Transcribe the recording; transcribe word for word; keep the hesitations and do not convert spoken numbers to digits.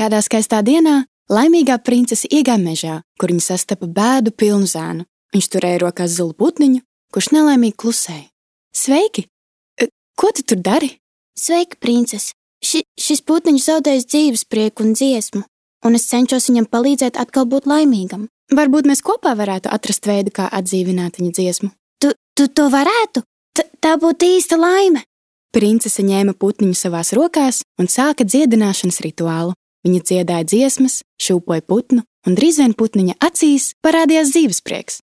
Kādā skaistā dienā laimīgā princese iegāja mežā, kur viņa sastapa bēdu pilnu zēnu. Viņš turēja rokās zilu putniņu, kurš nelaimīgi klusēja. Sveiki! Ko tu tur dari? Sveika, princese! Ši, šis putniņš zaudējis dzīves prieku un dziesmu, un es cenšos viņam palīdzēt atkal būt laimīgam. Varbūt mēs kopā varētu atrast veidu, kā atdzīvināt viņa dziesmu. Tu, tu to varētu? T tā būtu īsta laime! Princese ņēma putniņu savās rokās un sāka dziedināšanas rituālu. Viņa dziedāja dziesmas, šūpoja putnu, un drīz vien putniņa acīs parādījās dzīves prieks.